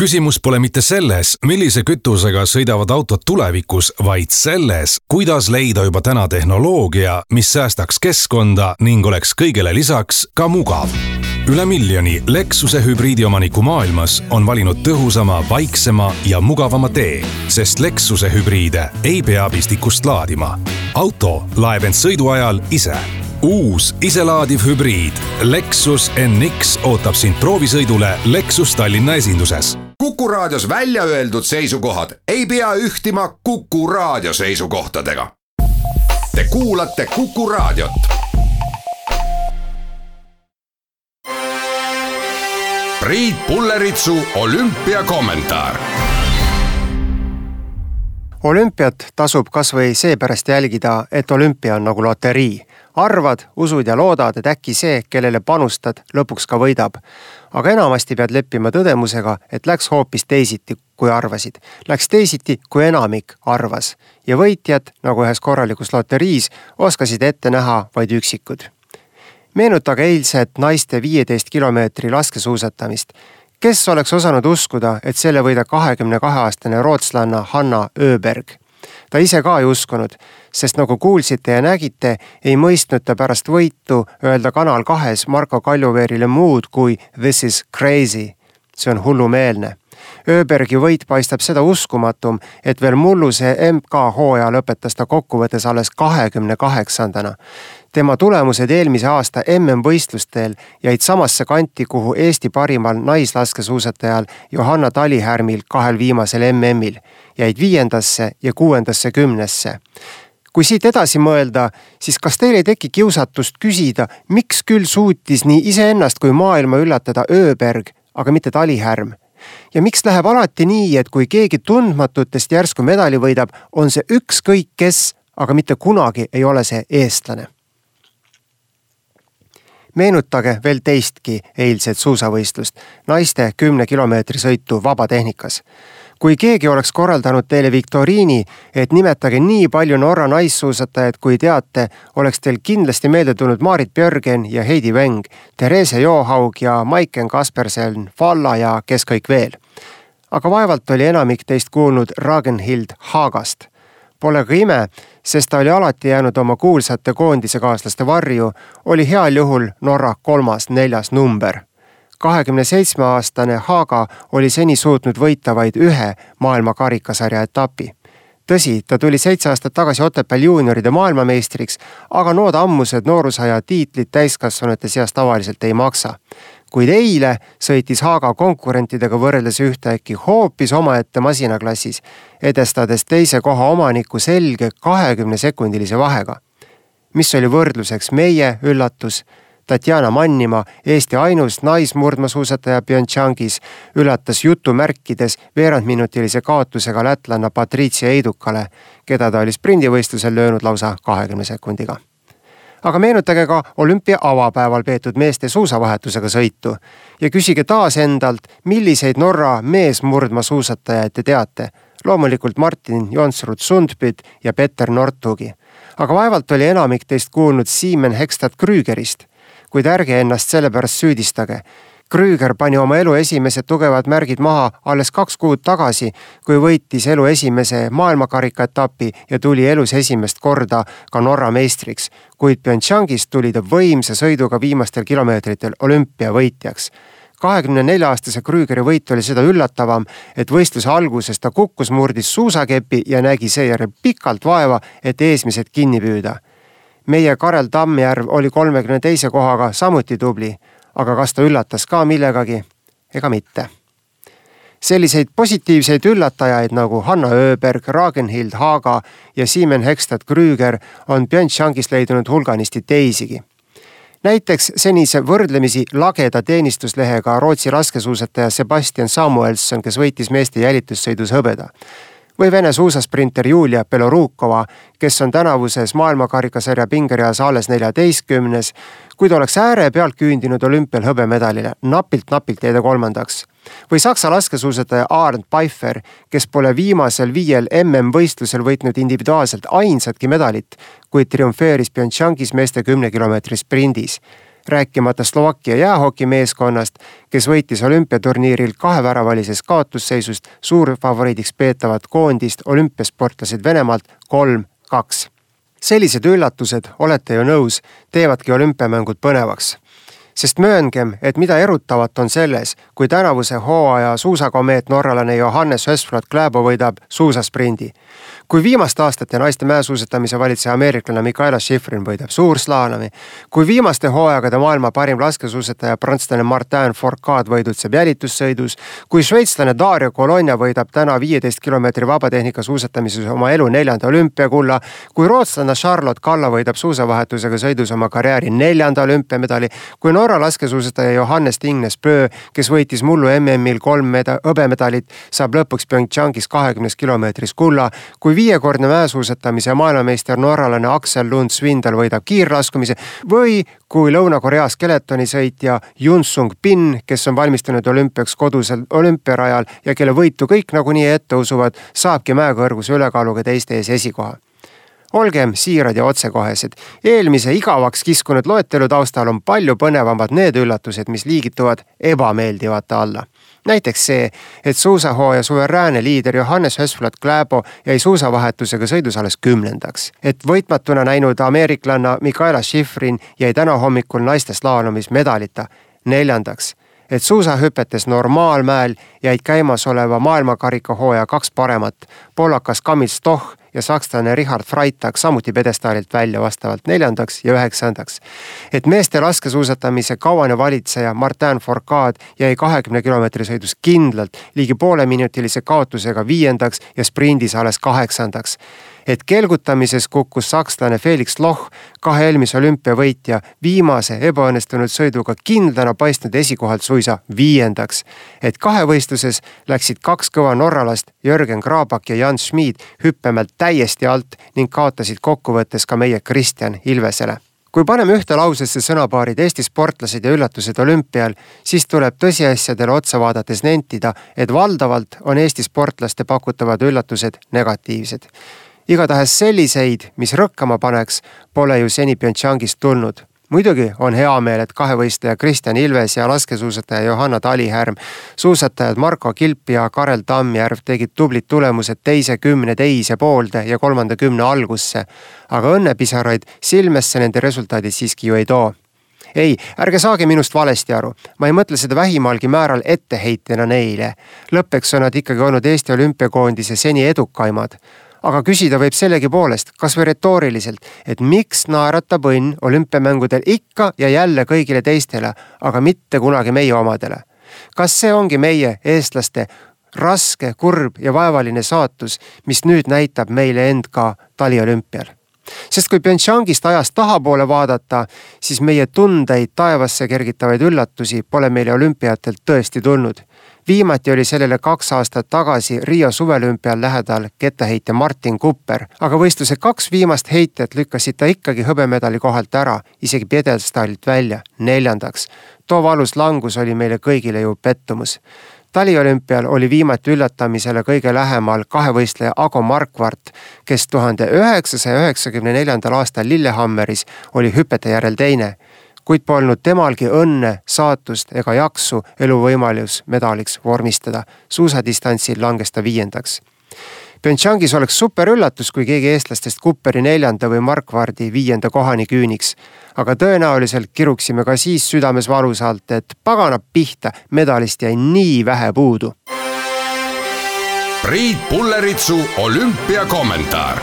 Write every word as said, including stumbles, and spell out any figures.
Küsimus pole mitte selles, millise kütusega sõidavad autod tulevikus, vaid selles, kuidas leida juba täna tehnoloogia, mis säästaks keskkonda ning oleks kõigele lisaks ka mugav. Üle miljoni Lexuse hübriidiomaniku maailmas on valinud tõhusama, vaiksema ja mugavama tee, sest Lexuse hübriide ei pea pistikust laadima. Auto laeb end sõidu ajal ise. Uus iselaadiv hübriid Lexus N X ootab sind proovisõidule Lexus Tallinna esinduses. Kuku raadios välja öeldud seisukohad ei pea ühtima Kuku raadio seisukohtadega. Te kuulate Kuku raadiot. Priit Pulleritsu olümpiakommentaar. Olümpiat tasub kas või seepärast jälgida, et olümpia on nagu loterii. Arvad, usud ja loodad, et äkki see, kellele panustad, lõpuks ka võidab. Aga enamasti pead leppima tõdemusega, et läks hoopis teisiti, kui arvasid. Läks teisiti, kui enamik arvas. Ja võitjad, nagu ühes korralikus loteriis, oskasid ette näha vaid üksikud. Meenutage eilset naiste viieteist kilomeetri laskesuusatamist. Kes oleks osanud uskuda, et selle võidab kahekümne kahe aastane rootslanna Hanna Öberg? Ta ise ka ei uskunud, sest nagu kuulsite ja nägite, ei mõistnud ta pärast võitu öelda Kanal kahes Marko Kaljuveerile muud kui "This is crazy". See on hullumeelne. Öbergi võit paistab seda uskumatum, et veel mulluse M K hooaja lõpetas ta kokkuvõttes alles kahekümne kaheksandana. Tema tulemused eelmise aasta M M-võistlustel jäid samasse kanti, kuhu Eesti parimal naislaskesuusatajal Johanna Talihärmil kahel viimasel M M-il, jäid viiendasse ja kuuendasse kümnesse. Kui siit edasi mõelda, siis kas teil ei teki kiusatust küsida, miks küll suutis nii iseennast kui maailma üllatada Öberg, aga mitte Talihärm? Ja miks läheb alati nii, et kui keegi tundmatutest järsku medali võidab, on see ükskõik kes, aga mitte kunagi ei ole see eestlane? Meenutage veel teistki eilset suusavõistlust, naiste kümne kilomeetri sõitu vabatehnikas. Kui keegi oleks korraldanud teile viktoriini, et nimetage nii palju Norra naissuusatajad, kui teate, oleks teil kindlasti meelde tulnud Marit Björgen ja Heidi Weng, Therese Johaug ja Maiken Kaspersen, Falla ja kes kõik veel. Aga vaevalt oli enamik teist kuulnud Ragnhild Hagast. Pole ka ime, sest ta oli alati jäänud oma kuulsate koondise kaaslaste varju, oli heal juhul Norra kolmas neljas number. kahekümne seitsme aastane Haga oli seni suutnud võita vaid ühe maailma karikasarja etapi. Tõsi, ta tuli seitse aastat tagasi Otepääl juunioride maailmameistriks, aga nood ammused noorusaja tiitlit täiskasvanute seas tavaliselt ei maksa. Kuid eile sõitis Haga konkurentidega võrreldes ühtäkki hoopis omaette masinaklassis, edestades teise koha omaniku selge kahekümne sekundilise vahega. Mis oli võrdluseks meie üllatus? Tatjana Mannima, Eesti ainus naismurdmasuusataja Pyeongchangis, üllatas jutumärkides veerandminutilise kaotusega lätlanna Patricia Eidukale, keda ta oli sprindivõistlusel löönud lausa kahekümne sekundiga. Aga meenutage ka olümpia avapäeval peetud meeste suusavahetusega sõitu ja küsige taas endalt, milliseid Norra meesmurdmasuusatajaid te teate. Loomulikult Martin Jonsrud Sundbyt ja Petter Northugi. Aga vaevalt oli enamik teist kuulnud Simen Hekstad Krügerist. Kuid ärge ennast selle pärast süüdistage. Krüger pani oma elu esimesed tugevad märgid maha alles kaks kuud tagasi, kui võitis elu esimese maailmakarika etapi ja tuli elus esimest korda ka Norra meistriks, kuid Pyeongchangist tuli ta võimsa sõiduga viimastel kilomeetritel olümpiavõitjaks. kahekümne nelja aastase Krügeri võit oli seda üllatavam, et võistluse alguses ta kukkus, murdis suusakepi ja nägi seejärel pikalt vaeva, et eesmised kinni püüda. Meie Karel Tammjärv oli kolmekümne teise kohaga samuti tubli, aga kas ta üllatas ka millegagi? Ega mitte. Selliseid positiivseid üllatajaid nagu Hanna Öberg, Ragnhild Haga ja Simen Hekstad Krüger on Pyeongchangis leidunud hulganisti teisigi. Näiteks senise võrdlemisi lageda teenistuslehega Rootsi laskesuusataja Sebastian Samuelson, kes võitis meeste jälitussõidus hõbeda. Või Vene suusasprinter Julia Belorukova, kes on tänavuses maailmakarikasarja pingereas alles neljateistkümnes, kuid oleks ääre pealt küündinud olümpial hõbemedalile, napilt-napilt jäi ta kolmandaks. Või Saksa laskesuusataja Arndt Pfeiffer, kes pole viimasel viiel M M-võistlusel võitnud individuaalselt ainsatki medalit, kuid triumfeeris Pyeongchangis meeste kümne kilomeetri sprindis. rääkimata Slovakkia jäähokimeeskonnast, kes võitis olümpiaturniiril kaheväravalises kaotusseisust suurfavoriidiks peetavat koondist olümpiasportlased Venemaalt kolm kaks. Sellised üllatused, olete ju nõus, teevadki olümpiamängud põnevaks. Sest mööngem, et mida erutavat on selles, kui tänavuse hooaja suusakomeet norralane Johannes Hösflot Klæbo võidab suusasprindi. Kui viimaste aastate naiste mäesuusatamise valitseja ameeriklane Mikaela Shiffrin võidab suurslaalomi, kui viimaste hooajagade maailma parim laskesuusataja prantslane Martin Fourcade võidutseb jälitussõidus, kui šveitslane Dario Colonia võidab täna viieteist kilomeetri vabatehnika suusatamises oma elu neljanda olümpiakulla, kui rootslane Charlotte Kalla võidab suusavahetusega sõidus oma karjääri neljanda olümpiamedali, kui Norra laskesuusataja Johannes Tingnes Bø, kes võitis mullu M M-il kolm meda- hõbemedalit, saab lõpuks Pyeongchangis kahekümnes kilomeetris kulla, kui viiekordne mäesuusatamise maailmameister norralane Aksel Lund Svindal võidab kiirlaskumise või kui Lõuna-Korea skeletonisõitja Yun Sung Bin, kes on valmistunud olümpiaks kodusel olümpiarajal ja kelle võitu kõik nagunii ette usuvad, saabki mäekõrguse ülekaaluga teiste ees esikoha. Olgem siirad ja otsekohesed. Eelmise igavaks kiskunud loetelu taustal on palju põnevamad need üllatused, mis liigituvad ebameeldivate alla. Näiteks see, et suusahooaja suveräänne liider Johannes Hösflot Klæbo jäi suusavahetusega sõidus alles kümnendaks. Et võitmatuna näinud ameeriklanna Mikaela Shiffrin jäi täna hommikul naiste slaalomis medalita neljandaks. Et suusahüpetes normaalmäel jäid käimas oleva maailmakarikahooaja kaks paremat, poolakas Kamil Stoch ja sakslane Richard Freitag samuti pedestaalilt välja vastavalt neljandaks ja üheksandaks. Et meeste laskesuusatamise kauane valitseja Martin Fourcade jäi kahekümne kilomeetri sõidus kindlalt ligi poole minutilise kaotusega viiendaks ja sprindis alles kaheksandaks. Et kelgutamises kukkus sakslane Felix Loch, kahe eelmise olümpiavõitja, viimase ebaõnnestunud sõiduga kindlana paistnud esikohalt suisa viiendaks. Et kahevõistluses läksid kaks kõva norralast, Jürgen Grabak ja Jan Schmid, hüppemelt täiesti alt ning kaotasid kokkuvõttes ka meie Kristjan Ilvesele. Kui paneme ühte lausesse sõnapaarid Eesti sportlased ja üllatused olümpial, siis tuleb tõsiasjadele otsa vaadates nentida, et valdavalt on Eesti sportlaste pakutavad üllatused negatiivsed. Igatahes selliseid, mis rõkkama paneks, pole ju seni Pyeongchangist tulnud. Muidugi on hea meel, et kahevõistleja Kristjan Ilves ja laskesuusataja Johanna Talihärm, suusatajad Marko Kilp ja Karel Tammjärv tegid tublid tulemused teise kümne teise poolde ja kolmanda kümne algusse, aga õnnepisaraid silmesse nende resultaadid siiski ju ei too. Ei, ärge saage minust valesti aru. Ma ei mõtle seda vähimalgi määral etteheitena neile. Lõppeks on nad ikkagi olnud Eesti olümpiakoondise seni edukaimad. Aga küsida võib sellegi poolest, kas või retooriliselt, et miks naeratab õnn olümpiamängudel ikka ja jälle kõigile teistele, aga mitte kunagi meie omadele. Kas see ongi meie, eestlaste, raske, kurb ja vaevaline saatus, mis nüüd näitab meile end ka taliolümpial? Sest kui Pyeongchangist ajast tahapoole vaadata, siis meie tundeid taevasse kergitavaid üllatusi pole meile olümpiatelt tõesti tulnud. Viimati oli sellele kaks aastat tagasi Rio suvelümpial lähedal kettaheitja Martin Kupper, aga võistluse kaks viimast heitet lükkasid ta ikkagi hõbemedali kohalt ära, isegi pjedestaalilt välja, neljandaks. Too valus langus oli meile kõigile ju pettumus. Taliolümpial oli viimati üllatamisele kõige lähemal kahevõistleja Ago Markvart, kes tuhande üheksasaja üheksakümne neljandal aastal Lillehammeris oli hüpete järel teine, kuid polnud temalgi õnne, saatust ega jaksu eluvõimalus medaliks vormistada. Suusadistantsil langes ta viiendaks. Pyeongchangis oleks super üllatus, kui keegi eestlastest Kupperi neljanda või Markvardi viienda kohani küüniks. Aga tõenäoliselt kiruksime ka siis südames valusalt, et pagana pihta, medalist jäi nii vähe puudu. Priit Pulleritsu olümpiakommentaar.